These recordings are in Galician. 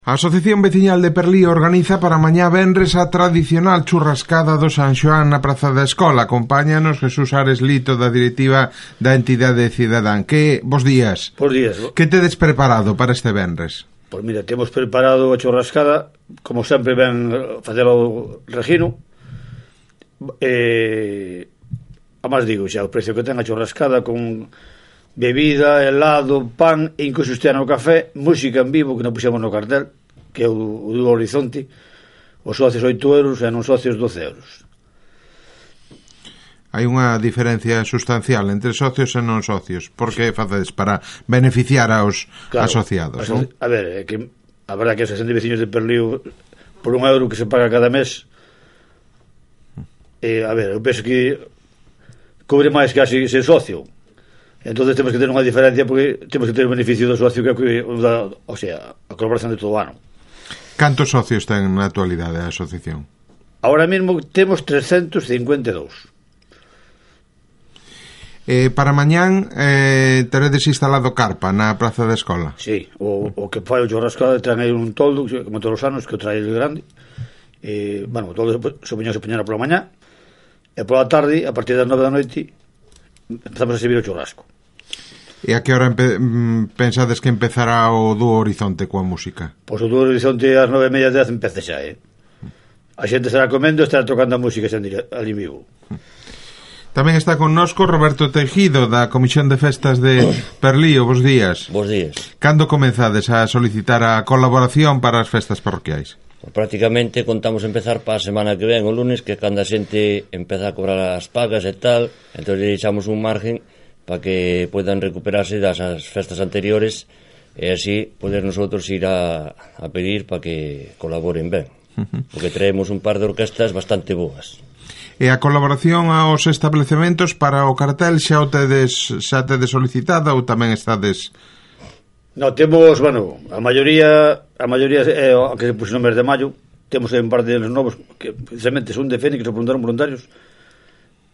A Asociación Veciñal de Perlío organiza para mañá venres a tradicional churrascada do San Xoán na Praza da Escola. Acompáñanos Jesús Ares Lito, da directiva da entidade cidadán. Que, bos días. Bos días. Que tedes preparado para este venres? Pois mira, temos preparado a churrascada, como sempre ven facelo Regino. A máis digo xa, o precio que ten a churrascada con bebida, helado, pan e incluso este ano café, música en vivo que non puxemos no cartel, que é o do Horizonte, os socios 8 euros e non socios 12 euros. Hai unha diferencia sustancial entre socios e non socios. Por que facedes? Para beneficiar aos asociados, non? A ver, é que a verdade que os 60 veciños de Perlío por un euro que se paga cada mes, a ver, eu penso que cobre máis que así ser socio. Entonces temos que ter unha diferencia porque temos que ter o beneficio do socio que o sea, a colaboración de todo o ano. Cantos socios ten na actualidade a asociación? Ahora mesmo temos 352. Para mañán teredes instalado carpa na Praza da Escola? Sí, o que fai o churrasco traen aí un toldo, como todos os anos, que o trae el grande. Bueno, o toldo se poñera pola mañá e pola tarde, a partir das 9 da noite, empezamos a servir o churrasco. E a que hora pensades que empezará o Dúo Horizonte coa música? Pois o Dúo Horizonte ás 9:30 empeza xa, A xente estará comendo e estará tocando a música ali vivo. Tamén está connosco Roberto Tejido, da Comisión de Festas de Perlío. Bos días. Bos días. Cando comenzades a solicitar a colaboración para as festas parroquiais? Prácticamente contamos empezar para a semana que ven, o lunes, que cando a xente empeza a cobrar as pagas e tal, entón lle deixamos un margen para que podan recuperarse das festas anteriores e así poder nosotros ir a pedir para que colaboren ben, porque traemos un par de orquestas bastante boas. E a colaboración aos establecementos para o cartel xa tedes solicitada ou tamén estades... No, temos, bueno, a maioría é o que se puxo no mes de maio. Temos un par de novos que precisamente son de Fénix, que se apuntaron voluntarios.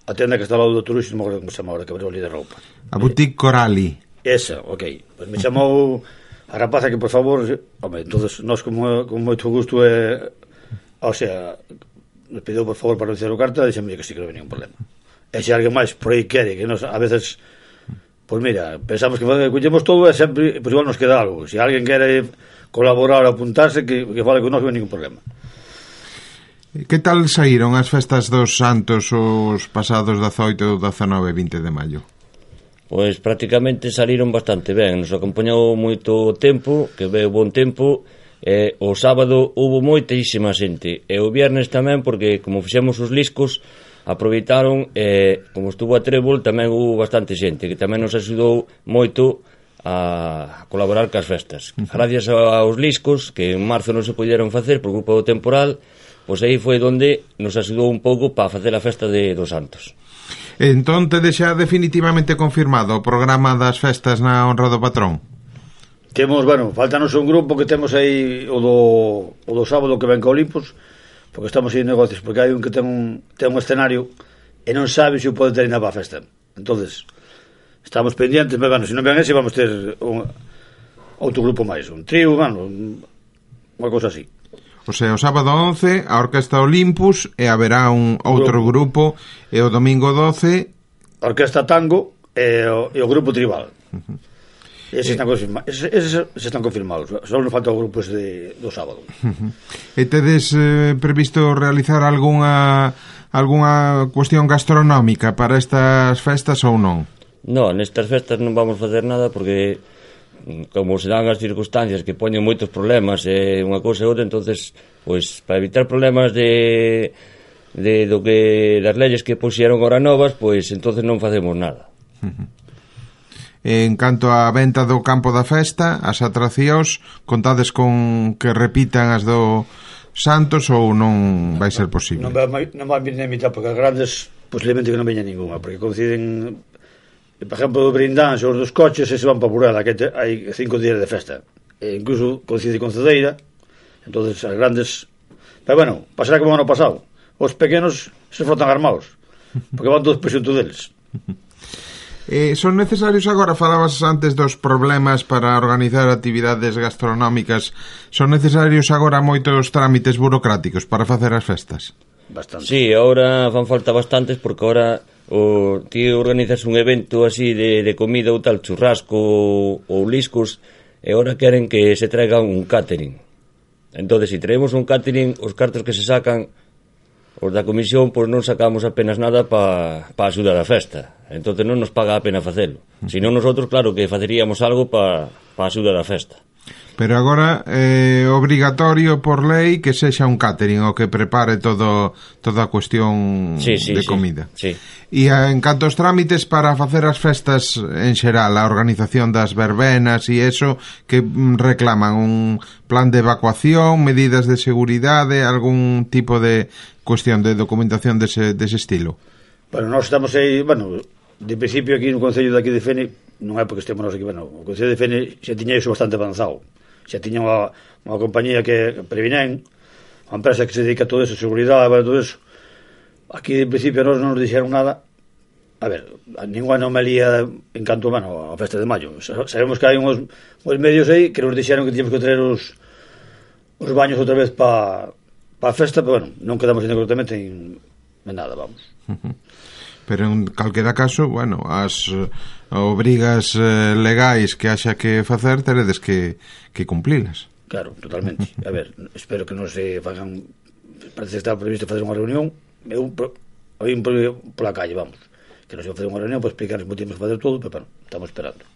A tenda que está ao lado do turismo, como se chama agora, que abriu ali de roupa. A Boutique Corali. Esa, ok. Pois me chamou a rapaza que, por favor, entonces nós como moito gusto o sea, nos pediu por favor para anunciar o carta, dixemos que sí, que non venía un problema. E se alguén máis por aí quere, que nos a veces, pois mira, pensamos que collemos todo e sempre, pois igual nos queda algo. Se alguén quere colaborar ou apuntarse, que fale con nós, non hai ningún problema. Que tal saíron as festas dos Santos os pasados 18, 19 e 20 de maio? Pois prácticamente saliron bastante ben, nos acompañou moito tempo, que veo bon tempo, e o sábado hubo moitísima xente, e o viernes tamén, porque como fixemos os liscos, aproveitaron, e como estuvo a trébol, tamén hubo bastante xente, que tamén nos axudou moito a colaborar cas festas. Gracias aos liscos, que en marzo non se puderon facer por culpa do temporal, pois aí foi onde nos axudou un pouco para facer a festa dos Santos. Entón, tedes xa definitivamente confirmado o programa das festas na honra do patrón? Temos, bueno, faltanos un grupo que temos aí o do sábado que ven ca Olimpos, porque estamos aí en negocios, porque hai un que ten un escenario e non sabe se o pode ter ainda para a festa. Entonces, estamos pendientes, pero bueno, se non ven ese, vamos ter outro grupo máis, un trío, bueno, unha cosa así. O sea, o sábado 11 a Orquesta Olympus e haberá un outro grupo e o domingo 12 a Orquesta Tango e o grupo Tribal. Eses están confirmados. Só nos falta o grupo do sábado. E tedes previsto realizar algunha cuestión gastronómica para estas festas ou non? Non, nestas festas non vamos facer nada porque como se dan as circunstancias que poñen moitos problemas e unha cousa e outra, entonces, pois, para evitar problemas do que das leyes que puxeron ahora novas, pois, entonces non facemos nada. En canto á venta do campo da festa, as atraccións, contades con que repitan as do Santos ou non vai ser posible? Non vai vir a mitad, porque as grandes posiblemente que non veña ninguna, porque coinciden. Por exemplo, do Brindán, os dos coches, se van para Burela, que hai 5 días de festa. E incluso coincide con Cedeira. Entonces as grandes... Pero bueno, pasará como o ano pasado. Os pequenos se frotan armados, porque van todos por xunto deles. Son necesarios agora, falabas antes dos problemas para organizar actividades gastronómicas, son necesarios agora moitos trámites burocráticos para facer as festas? Bastante. Sí, agora fan falta bastantes porque agora ti organizas un evento así de comida ou tal, churrasco ou liscos, e agora queren que se traiga un catering. Entón, se traemos un catering, os cartos que se sacan os da comisión, pois non sacamos apenas nada para axudar a festa. Entón non nos paga a pena facelo. Senón nosotros, claro, que faceríamos algo para axudar a festa. Pero agora é obrigatorio por lei que sexa un catering o que prepare toda a cuestión de comida. Sí. E en canto aos trámites para facer as festas en xeral, a organización das verbenas e eso, que reclaman un plan de evacuación, medidas de seguridade, algún tipo de cuestión de documentación dese estilo? Bueno, nós estamos aí, de principio aquí no Concello de aquí de Fene, non é porque estemos nós aquí, o Concello de Fene xa tiña iso bastante avanzado. Xa tiña unha compañía que Previnen, unha empresa que se dedica a todo eso, seguridade, todo eso. Aquí de principio nós non nos dixeron nada. A ver, ninguna anomalía en canto a festa de maio. Sabemos que hai uns medios aí que nos dixeron que teníamos que traer os baños outra vez para a festa, pero non quedamos concretamente en nada, vamos. Pero en calquera caso, as obrigas legais que haxa que facer, teredes que cumplilas. Claro, totalmente. A ver, espero que non se fagan, parece que está previsto facer unha reunión, oí pola calle, vamos, que non se va a facer unha reunión para explicar como temos que facer todo, pero estamos esperando.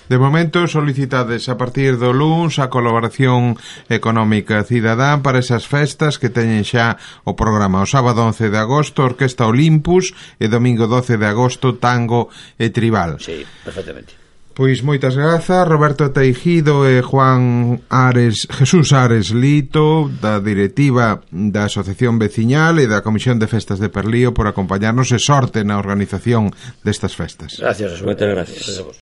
De momento solicitades a partir do luns a colaboración económica cidadá para esas festas que teñen xa o programa. O sábado 11 de agosto Orquesta Olympus e domingo 12 de agosto Tango e Tribal. Sí, perfectamente. Pois moitas grazas, Roberto Teijido e Jesús Ares Lito, da directiva da Asociación Veciñal e da Comisión de Festas de Perlío, por acompañarnos e sorte na organización destas festas. Gracias, moitas gracias.